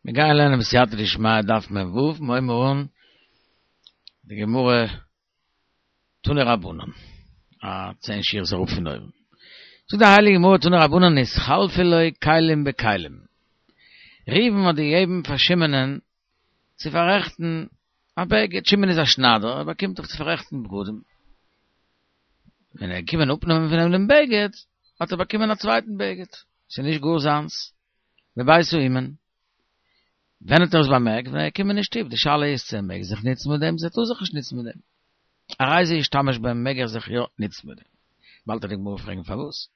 מיר גייען לערנען בסייעתא דשמיא דף מ ו, מיר הייבן אן די גמרא תנו רבנן, א צען שורות אראפ פון אויבן. זאגט די הייליגע גמרא תנו רבנן נתחלפו לו כלים בכלים, ראובן האט געגעבן פאר שמעונ'ען צו פאררעכטן א בגד, שמעון איז א שניידער, ער באקומט דאך צו פאררעכטן בגדים, ווען ער איז געקומען אפנעמען פון אים דעם בגד, האט ער באקומען א צווייטן בגד, ס'איז נישט גאר זיינס. בבית האומן. ווען האט ער עס באמערקט? ווען ער איז געקומען אין שטוב. די שאלה איז צו ער מעג זיך נוצן מיט דעם, צו ער טאר זיך נישט נוצן מיט דעם. הרי זה ישתמש בהם מעג ער זיך יא נוצן מיט דעם. באלד וועט די גמרא פרעגן פארוואס.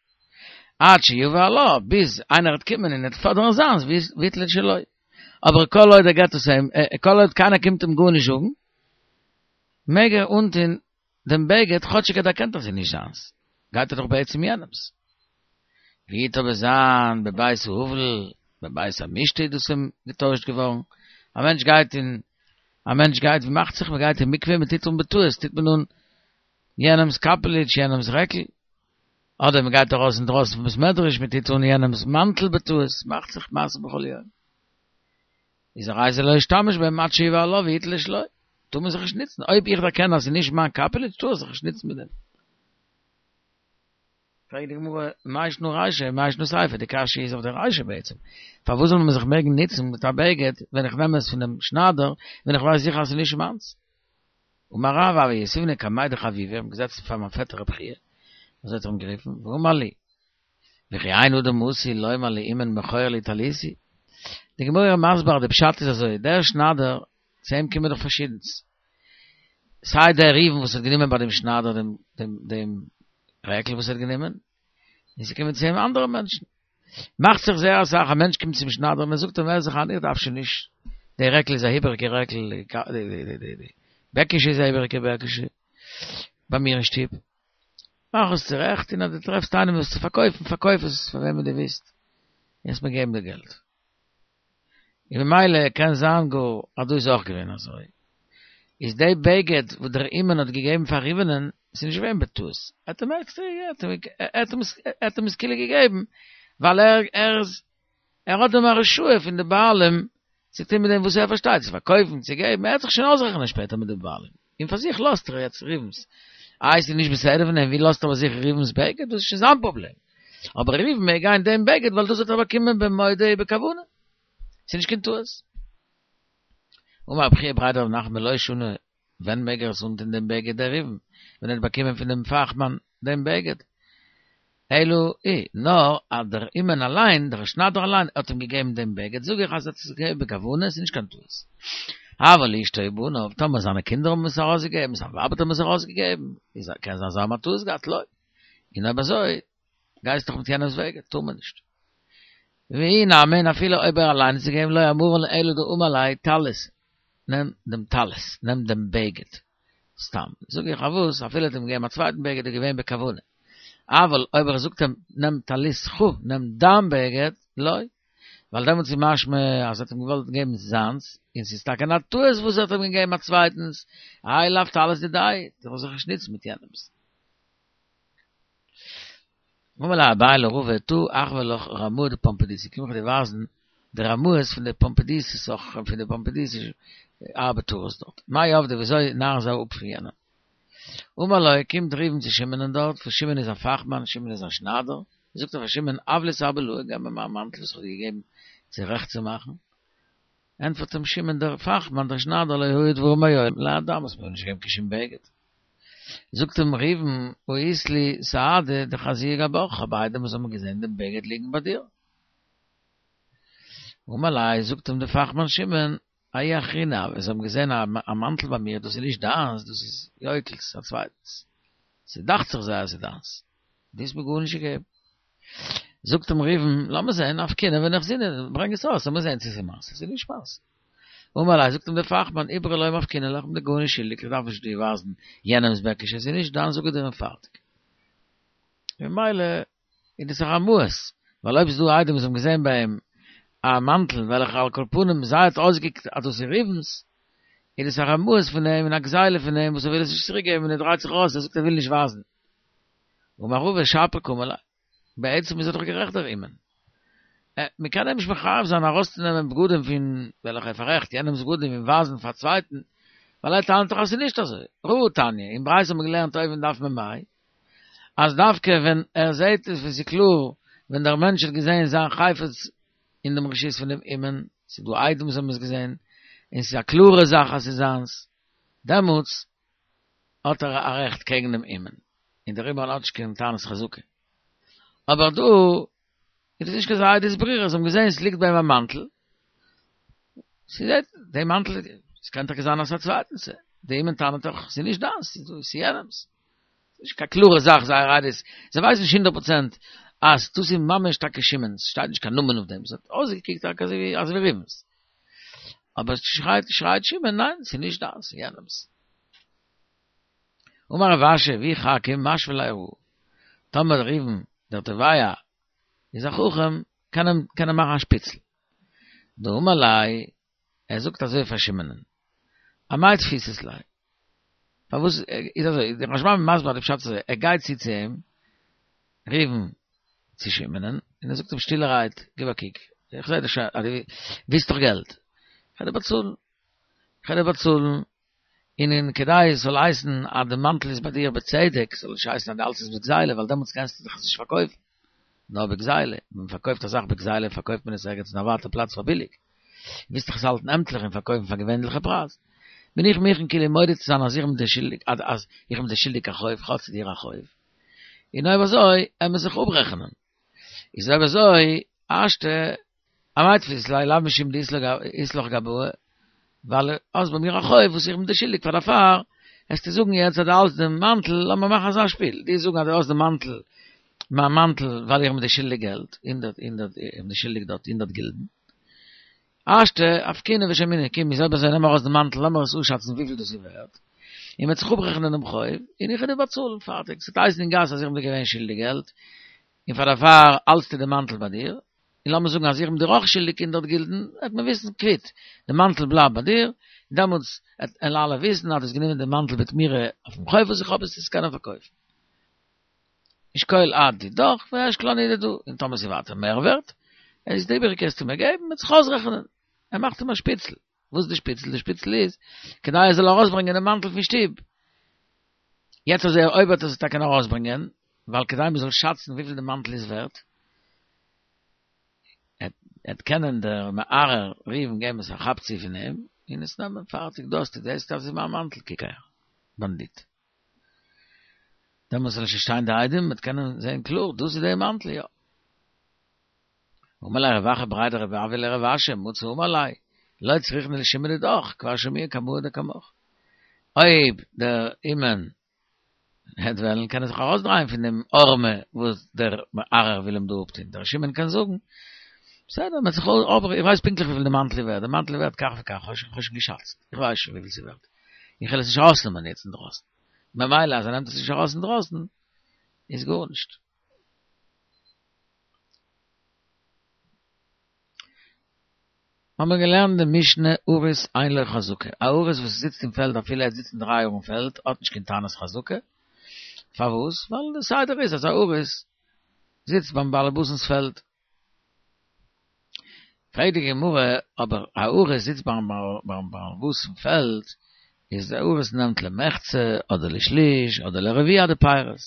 עד שיבא עליו, ביז איינער וועט קומען און וועט פאדערן זיינס, ויטול את שלו. אבער כל עוד ער געט עס אים, כל עוד קיינער קומט אים גארנישט זאגן, מעג ער אנטון דעם בגד כאטשיג ער דערקענט אז ס'איז נישט זיינס, גייט ער דאך בעצם יענעמס. ווי וועט אבער זיין בבית האבל, בבית המשתה איז דאס אים געטוישט געווארן, א מענטש גייט אין, א מענטש גייט, ווי מאכט זיך, מ'גייט אין מקווה, מ'טוט אן בטעות, טוט מען אן יענעמס קאפעליטש, יענעמס רעקל, אדער מ'גייט ארויס אינדרויסן פון בית מדרש, מ'טוט אן יענעמס מאנטל בטעות, מאכט זיך מעשה בכל יום. איז הרי זה לא ישתמש בהם עד שיבא עליו ויטול את שלו. טאר מען זיך נישט נוצן, אויב איך דערקען אז ס'איז נישט מיין קאפעליטש טאר איך זיך נישט נוצן מיט דעם. פרעגט די גמרא, מאי שנא רישא מאי שנא סיפא, די קשיא איז אויף די רישא בעצם, פארוואס זאל מען זיך מעגן נוצן מיט א בגד ווען איך נעם עס פונעם שניידער ווען איך ווייס זיכער אז ס'איז נישט מיינס? אמר רב הוה יתיבנא קמיה דחביבא, איך בין געזעצן פאר מיין פעטער רב חייא, אזוי האט ער אים גערופן, ואמר לי, וכי אין אדם עשוי לומר לאומן מכור לי טליתי? די גמרא איז מסביר אז די פשט איז אזוי, דער שניידער, צו אים קומען דאך פארשידענס, סיי דער ראובן וואס האט גענומען ביי דעם שניידער דעם דעם דעם רעקל וואס ער האט גענומען, און ס'קומען צו אים אנדערע מענטשן. מאכט זיך זייער אסאך, א מענטש קומט צום שניידער און ער זאגט אים הער זיך איין איך דארף שוין נישט, די רעקל איז א איבעריגע רעקל, די די די בעקישע איז א איבעריגע בעקישע, ביי מיר אין שטוב. מאך עס צורעכט און אז דו טרעפסט איינעם עס צו פארקויפן פארקויף עס פאר וועמען דו ווילסט וועסט מיר געבן די געלט. און ממילא קען זיין גאר אז דא איז אויך געווען אזוי. איז די בגד וואס דער אומן האט געגעבן פאר ראובנ'ען איז נישט געווען בטעות, ער האט אים עקסטער ער האט אים עס כאילו געגעבן ווייל ער ער איז ער האט דעם הרשאה פון די בעלים צו טון מיט דעם וואס ער פארשטייט, צו פארקויפן, צו געבן, ער וועט זיך שוין אויסרעכענען שפעטער מיט די בעלים. און פאר זיך לאזט ער יעצט ראובן'ס. איי ס'איז נישט בסדר פון אים, ווי לאזט ער ביי זיך ראובן'ס בגד, דאס איז שוין זיין פראבלעם. אבער ראובן מעג גיין דעם בגד ווייל דאס האט ער באקומען במודע ובכוונה. ס'איז נישט קיין טעות. אמר רב חייא בריה דרב נחמן לא שנו ווען מעג ער עס אנטון דעם בגד דער ראובן, ווען ער האט באקומען פון דעם פאכמאן דעם בגד? אלא אי, נאר אז דער אומן אליין, דער שניידער אליין, האט אים געגעבן דעם בגד, זאג איך אז ער האט עס געגעבן בכוונה, עס איז נישט קיין טעות. אבל אשתו ובניו, טאמער זיינע קינדער האבן עס ארויסגעגעבן, זיין ווייב האט אים עס ארויסגעגעבן, איז קען זיין זיי האבן א טעות געהאט, לא. און אויב אזוי, גייסט דאך מיט יענעמ'ס בגד, טאר מען נישט. ואי נמי, און אפילו אויב ער אליין האט עס געגעבן, לא אמרן אלא דאמר ליה טלית, נעם דעם טלית, נעם דעם בגד, סתם, זאג איך פארוואס, אפילו האט אים געגעבן א צווייטן בגד איז געווען בכוונה, אבל אויב ער זאגט אים נעם טליתך, נעם דיין בגד, לא, ווייל דעמאלטס איז משמע אז ער האט אים געוואלט געבן זיינס, און ס'איז טאקע א טעות וואס ער האט אים געגעבן א צווייטנס, האי לאו טלית דידיה, זאל זיך נישט נוצן מיט יענעמס. אמר ליה אביי לרבא תא אחוי לך רמאי דפומבדיתא, קום איך דיר ווייזן די רמאות פון די פומבדיתא סוחרים פון די פומבדיתא ארבעטארס דארט, מאי עבדי וויאזוי נארן זיי אפ פון יענעם. אמר ליה קומט ראובן צו שמעונ'ען דארט, וואס שמעון איז א פאכמאן, שמעון איז א שניידער, זאגט ער פאר שמעון הב לי סר בלאי, געב מיר מיין מאנטל וואס איך האב דיר געגעבן צורעכט צו מאכן, ענטפערט אים שמעון דער פאכמאן דער שניידער לא היו דברים מעולם להדם, האסט מיר נישט געגעבן קיין שום בגד. זאגט אים ראובן, הא אית לי סהדי דחזיוה גבך, כ'האב עדים וואס האבן געזען דעם בגד ליגן ביי דיר. אמר ליה, זאגט אים דער פאכמאן שמעון, ההוא אחרינא הוה, זיי האבן געזען א מאנטל ביי מיר, דאס איז נישט דיינס, דאס איז יויקל'ס, א צווייטנס. ס'דאכט זיך זיי אז ס'איז דיינס. דו האסט מיר גארנישט געגעבן. זאגט אים ראובן, לאמיר זען, נפקינהו ונחזינהו, ברענג עס ארויס, לאמיר זען צו ס'איז מיינס, צו ס'איז נישט מיינס. אמר ליה, זאגט אים דער פאכמאן, איברא לא מפקינא לך, כ'בין דיר גארנישט שולדיג, איך דארף נישט דיר ווייזן יענעמ'ס בעקישע, עס איז נישט דיינס זאג איך דיר און פארטיג. ממילא איז דאס א רמאות, ווייל אויב איז דא עדים וואס האבן געזען ביי אים א מאנטל וועלכע על כל פנים זיי האט אויסגעקוקט אז דאס איז ראובן'ס, איז דאס א רמאות פון אים און א גזילה פון אים וואס ער וויל עס נישט צוריק געבן און ער דרייט זיך ארויס, ער זאגט ער וויל נישט ווייזן. אמר רבא שפיר קאמר ליה, בעצם איז ער דאך גערעכט דער אומן. מען קען אים נישט מחייב זיין ארויסצונעמען בגדים פון וועלכע ער פאררעכט יענעמ'ס בגדים און ווייזן פאר א צווייטן, ווייל ער טענה'ט דאך אז ס'איז נישט אזוי. ראה תניא, אין ברייתא האט מען געלערנט אויבן דף מ"ה, אז דווקא ווען ער זעהט עס ווען ס'איז קלאר, ווען דער מענטש האט געזעהן זיין חפץ אין דעם רשות פון דעם אומן, ס'איז דא עדים וואס האבן עס געזעהן, און ס'איז א קלארע זאך אז ס'איז זיינס, דעמאלטס האט ער א רעכט קעגן דעם אומן, און דער אומן האט נישט קיין טענת חזקה. אבער דא איז דאס נישט קיין אזא עדות ברורה, זיי האבן געזען עס ליגט ביי אים א מאנטל, ס'זעט די מאנטל, עס קען טאקע זיין אז ס'איז א צווייטנס, די אומן טענה'ט דאך ס'איז נישט דיינס, ס'איז יענעמס. ס'איז נישט קיין קלארע זאך זייער עדות, זיי ווייסן נישט הונדערט פראצענט אז דאס איז ממש טאקע שמעון'ס, ס'שטייט נישט קיין נאמען אויף דעם, ס'האט אויסגעקוקט טאקע אזוי ווי ראובן'ס. אבער שרייט שרייט שמעון ניין ס'איז נישט דיינס ס'איז יענעמס. אמר רב אשי ואי חכים משוי ליה הא, טאמער ראובן דער תובע איז א חכם קען ער קען ער מאכן א שפיצל. דאמר ליה ער זאגט אזוי פאר שמעונ'ן אמאי תפיסת ליה פארוואס איז אזוי דער רשב"ם איז מסביר די פשט אזוי ער גייט צו צו אים ראובן צו שמעונ'ן און ער זאגט אים שטילערהייט גיב א קוק איך זעה דאך שוין אז דו ווילסט דאך געלט איך וועל דיר באצאלן איך וועל דיר באצאלן און און כדי עס זאל הייסן אז די מאנטל איז ביי דיר בצדק, זאל נישט הייסן אז דו האלטסט עס בגזילה, ווייל דעמאלטס קענסטו דאך עס נישט פארקויפן, נאר בגזילה, ווען מען פארקויפט א זאך בגזילה פארקויפט מען עס ערגעץ אין א ווייטע פלאץ פאר ביליג, ווילסט דאך עס האלטן עמטליך און פארקויפן פאר געווענליכע פרייז, בין איך מוכן כאילו מודה צו זיין אז איך בין דיר שולדיג אז איך בין דיר שולדיג א חוב, איך האב צו דיר א חוב, און אויב אזוי עמיר זיך אפרעכענען. איז אויב אזוי, השתא אמאי תפיסת ליה לאו משום דאית לך גבאי, ווייל האסט ביי מיר א חוב וואס איך בין דיר שולדיג פאר דערפאר, עסטו זאגן יעצט אז דו האלסט דעם מאנטל, לאמיר מאכן אזא שפיל, דו זאגן אז דו האסט דעם מאנטל, מיין מאנטל, ווייל איך בין דיר שולדיג געלט, הונדערט, הונדערט, איך בין דיר שולדיג דארט הונדערט גילדן. השתא, אפקעינהו ושמעינהו, קום, איז אויב אזוי נעם ארויס דעם מאנטל, לאמיר עס אפשאצן וויפיל דאס איז ווערט, און מ'וועט זיך אפרעכענען דעם חוב, און איך וועל דיר באצאלן, פארטיג. ס'וועט הייסן אין גאס אז איך בין דיר געווען שולדיג געלט, און פאר דערפאר האלטסטו די מאנטל ביי דיר, און לאמיר זאגן אז איך בין דיר אויך שולדיג הונדערט גילדן, וועט מען וויסן קוויט, די מאנטל בלייבט ביי דיר, און דעמאלטס וועלן אלע וויסן אז דו האסט גענומען די מאנטל בתמורה אויפן חוב וואס איך האב עס עס קענען פארקויפן. אשקול את דידך ואשקול אנא דידא, און טאמער ס'איז ווייטער מער ווערט, איז די איבעריגע קענסטו מיר געבן, מ'וועט זיך אויסרעכענען. ער מאכט אים א שפיצל. וואס איז די שפיצל? די שפיצל איז, כדי ער זאל ארויסברענגען דעם מאנטל פון שטוב. יעצט אז ער אויב וועט ער עס טאקע ארויסברענגען, ווייל כדי מ'זאל שאצן וויפיל די מאנטל איז ווערט, עט קענען דער מערער ראובן געבן עס א כאפ צו פון אים, און עס נעמען, פארטיג, דא האסטו דאס, דאס איז מיין מאנטל, קוק אהער, באנדיט. דעמאלס זאל נישט שטיין די עדים, מ'וועט קענען זען קלאר, דאס איז דער מאנטל, יא. אמר ליה רב אחא בריה דרב אויא לרב אשי, מצי אמר ליה, לא צריכנא לשמעי דידך, כבר שמעינן קמאי דקמך. אויב דער אומן העט וועלן קען ער זיך ארויסדרייען פון דעם הערמה וואס דער מערער וויל אים דא אפטון, דער שמעון קען זאגן, בסדר, מ'וועט זיך אבער איך ווייס פונקטליך וויפיל די מאנטל איז ווערט, די מאנטל איז ווערט כך וכך, כ'האב שוין געשאצט, איך ווייס שוין וויפיל ס'איז ווערט, איך וועל עס נישט ארויסנעמען יעצט אינדרויסן, ממילא אז ער נעמט עס נישט ארויס אינדרויסן איז גארנישט. האבן מיר געלערנט די משנה אריס אין לו חזקה, א אריס וואס זיצט אין פעלד אפילו ער זיצט אין דריי יאר אין פעלד האט נישט קיין טענת חזקה, פארוואס? ווייל די סדר איז אז א אריס זיצט ביים באלעבאס'נס פעלד. פרעגט די גמרא, אבער א אריס זיצט ביים באלעבאס אין פעלד, איז די אריס נעמט למחצה אדער לשליש אדער לרביע די פירות,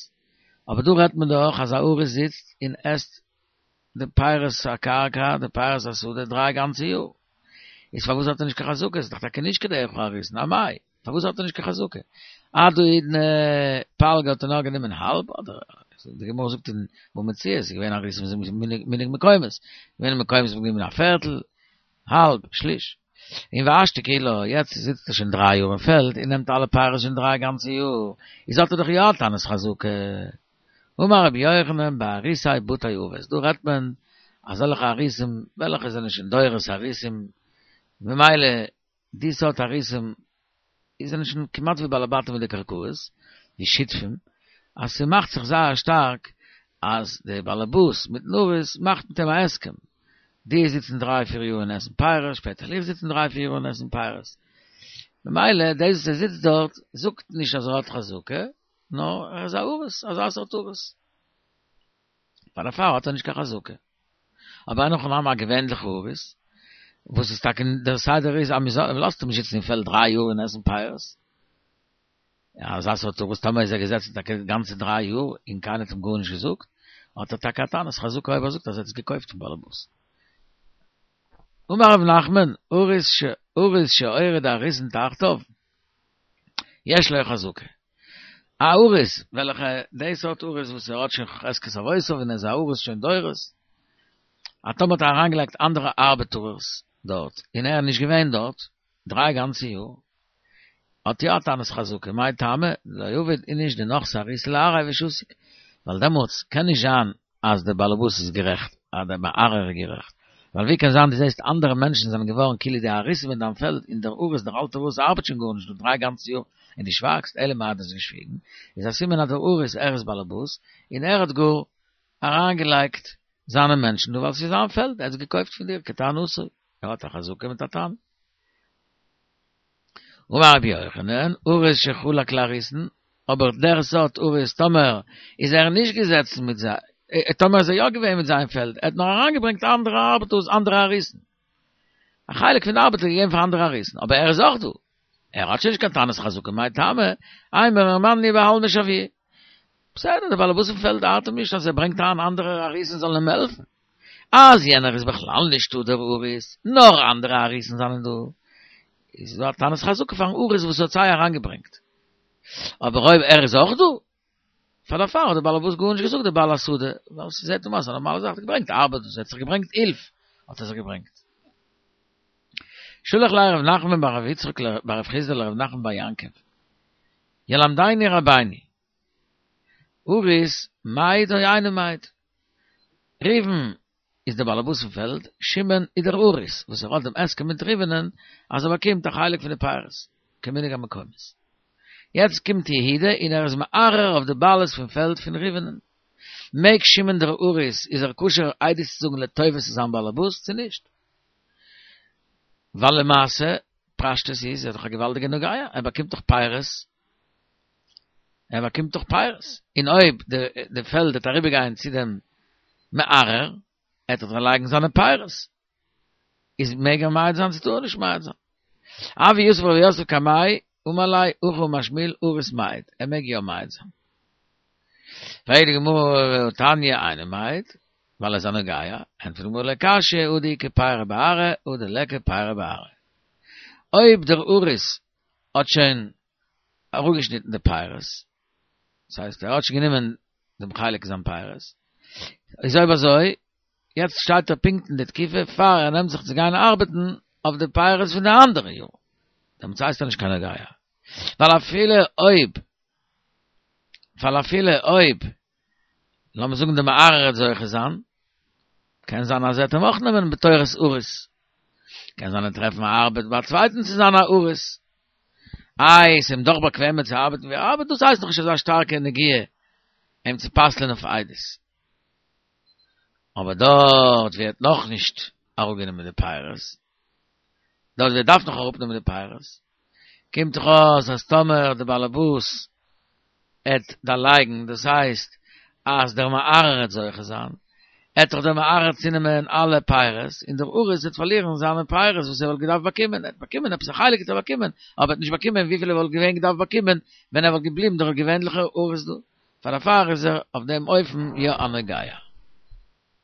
אבער דא רעדט מען דאך אז א אריס זיצט און עסט די פירות הקרקע, די פירות השדה דריי גאנצע יאר, איז פארוואס האט ער נישט קיין חזקה? ס'איז דאך טאקע נישט כדרך האריסין, אמאי, פארוואס האט ער נישט קיין חזקה? עד האידנא פלגא האט ער נאר גענומען האלב, אדער די גמרא זאגט אין בבא מציעא ס'איז געווען אריסין וואס איז מנהג מקומות, געווען מקומות וואס האבן גענומען א פערטל, האלב, שליש. און והשתא כולה, יעצט זיצט ער שוין דריי יאר אין פעלד און נעמט אלע פירות שוין דריי גאנצע יאר, איז האט ער דאך יא א טענת חזקה. אמר רבי יוחנן באריסי בתי אבות, דא רעדט מען אזעלכע אריסים וועלכע זענען שוין דורות אריסים, ממילא די סארט אריסים זענען שוין כמעט ווי בעלי בתים מיט די קרקעות, ווי שותפים, אז ס'מאכט זיך זייער שטארק אז די באלעבאס מיטן אריס מאכט מיט אים א הסכם, דו זיצן דריי פיר יאר און עסן פירות, שפעטער וועל איך זיצן דריי פיר יאר און עסן פירות. ממילא דאס וואס ער זיצט דארט זאגט נישט אז ער האט חזקה, נאר ער איז א אריס, אזא סארט אריס. פאר דערפאר האט ער נישט קיין חזקה. אבער אין הכי נמי א געווענליכע אריס, וואס איז טאקע דער סדר איז אז מען לאזט אים נישט זיצן אין פעלד דריי יאר און עסן פירות, אזא סארט אריס טאמער איז ער געזעצן טאקע גאנצע דריי יאר און קיינער האט אים גארנישט געזאגט, האט ער טאקע א טענת חזקה אויב ער זאגט אז ער האט עס געקויפט פון באלעבאס. אמר רב נחמן, אריס שהוריד אריסין תחתיו, יש לו חזקה. א אריס, וועלכע, די סארט אריס וואס ער האט שוין חזקת אבותיו און ער איז א אריס שוין דורות, אז טאמער האט ער אריינגעלייגט אנדערע ארבעטארערס דארט, און ער איז נישט געווען דארט דריי גאנצע יאר, האט יא א טענת חזקה, מאי טעמא, דלא עביד איניש דנחתי אריסא לארעיה ושתיק, ווייל דעמאלטס קען נישט זיין אז דער באלעבאס איז גערעכט, אז דער מערער איז גערעכט, ווייל ווי קען זיין דו זעסט אנדערע מענטשן זענען געווארן כאילו די אריסים אין דיין פעלד און דער אריס דער אלטער אריס ארבעט שוין גארנישט דא דריי גאנצע יאר און דו שווייגסט, אלא מאי דו האסט געשוויגן, איז א סימן אז דער אריס ער איז באלעבאס און ער האט גאר אריינגעלייגט זיינע מענטשן דא ווייל ס'איז זיין פעלד, ער האט עס געקויפט פון דיר כטענתו, ער האט א חזקה מיט א טענה. אמר רבי יוחנן, אריס שחלק לאריסין, אבער דער סארט אריס טאמער איז ער נישט געזעצן מיט זיי, טאמער איז ער יא געווען מיט זיין פעלד, ער האט נאר אריינגעברענגט אנדערע ארבעטערס, אנדערע אריסין. א חלק פון די ארבעט האט ער געגעבן פאר אנדערע אריסין, אבער ער איז אויך דא. ער האט שוין נישט קיין טענת חזקה, מאי טעמא, אימר מאן בעלמא שויוה. בסדר, דער בעל הבית פון פעלד ארט אים נישט אז ער ברענגט אריין אנדערע אריסין זאלן אים העלפן. אז יענער איז בכלל נישטא דער אריס, נאר אנדערע אריסן זענען דא, איז דא א טענת חזקה פארן אריס וואס האט זיי אריינגעברענגט. אבער אויב ער איז אויך דא, פאר דערפאר האט דער בעל הבית גארנישט געזאגט דער בעל השדה, ווייל ס'זעט אים אויס א נארמאלע זאך, האט געברענגט ארבעט, ער האט זיך געברענגט הילף, האט ער זיך געברענגט. שלח ליה רב נחמן בר רב יצחק בר רב חסדא לרב נחמן בר יעקב, ילמדנו רבינו, אריס מעיד או אינו מעיד. ראובן איז דער באלעבאס פון פעלד, שמעון איז דער אריס וואס ער האט דעם הסכם מיט ראובנ'ען אז ער באקומט א חלק פון די פירות, כמנהג המקומות. יעצט קומט יהודה און ער איז מערער אויף די בעלות פון פעלד פון ראובנ'ען. מעג שמעון דער אריס, איז ער כשר עדות צו זאגן לטובת זיין באלעבאס צו נישט? ווייל למעשה, פשטות איז ער דאך א געוואלדיגע נוגע, ער באקומט דאך פירות ער באקומט דאך פירות, און אויב די פעלד וועט אריבערגיין צו דעם מערער, עט ער דאך לייגן זיינע פירות, איז מעג ער מעיד זיין צו טאר ער נישט מעיד זיין? הוה יתיב רב יוסף קמיה, אמר ליה, הכי אמר שמואל, אריס מעיד, ער מעג יא מעיד זיין. פרעגט די גמרא והתניא אינו מעיד, ווייל ער איז א נוגע, ענטפערט די גמרא לא קשיא, הא דאיכא פירי בארעא, הא דליכא פירי בארעא. אויב דער אריס האט שוין אראפגעשניטן די פירות, דאס הייסט ער האט שוין גענומען דעם חלק זיין פירות, איז אויב אזוי, יעצט שטייט ער פונקט אין די תקופה פאר ער נעמט זיך צו גיין ארבעטן אויף די פירות פון די אנדערע יאר, דעמאלטס הייסט ער נישט קיין נוגע, ווייל אפילו אויב, ווייל אפילו אויב, לאמיר זאגן די מערער וועט זוכה זיין, קען זיין אז ער וועט אים אויך נעמען בתורת אריס, קען זיין ער וועט טרעפן א ארבעט ביי א צווייטן צו זיין א אריס. איי, ס'איז אים דאך באקוועמער צו ארבעטן ווי ער ארבעט, דאס הייסט נאך נישט אזא שטארקע נגיעה אים צו פסל'ען אויף עדות. אבער דארט ווי ער האט נאכנישט אראפגענומען די פירות, דארט ווי ער דארף נאך אראפנעמען די פירות, קומט דאך אויס אז טאמער די באלעבאס עט דערלייגן, דאס הייסט אז דער מערער עט זוכה זיין, עט דאך דער מערער צונעמען אלע פירות, און דער אריס וועט פארלירן זיינע פירות וואס ער וואלט געדארפט באקומען, ער האט באקומען עפעס א חלק האט ער באקומען, אבער ער האט נישט באקומען וויפיל ער וואלט געווען געדארפט באקומען ווען ער וואלט געבליבן דער געווענליכער אריס דא, פאר דערפאר איז ער אויף דעם אופן יא א נוגע.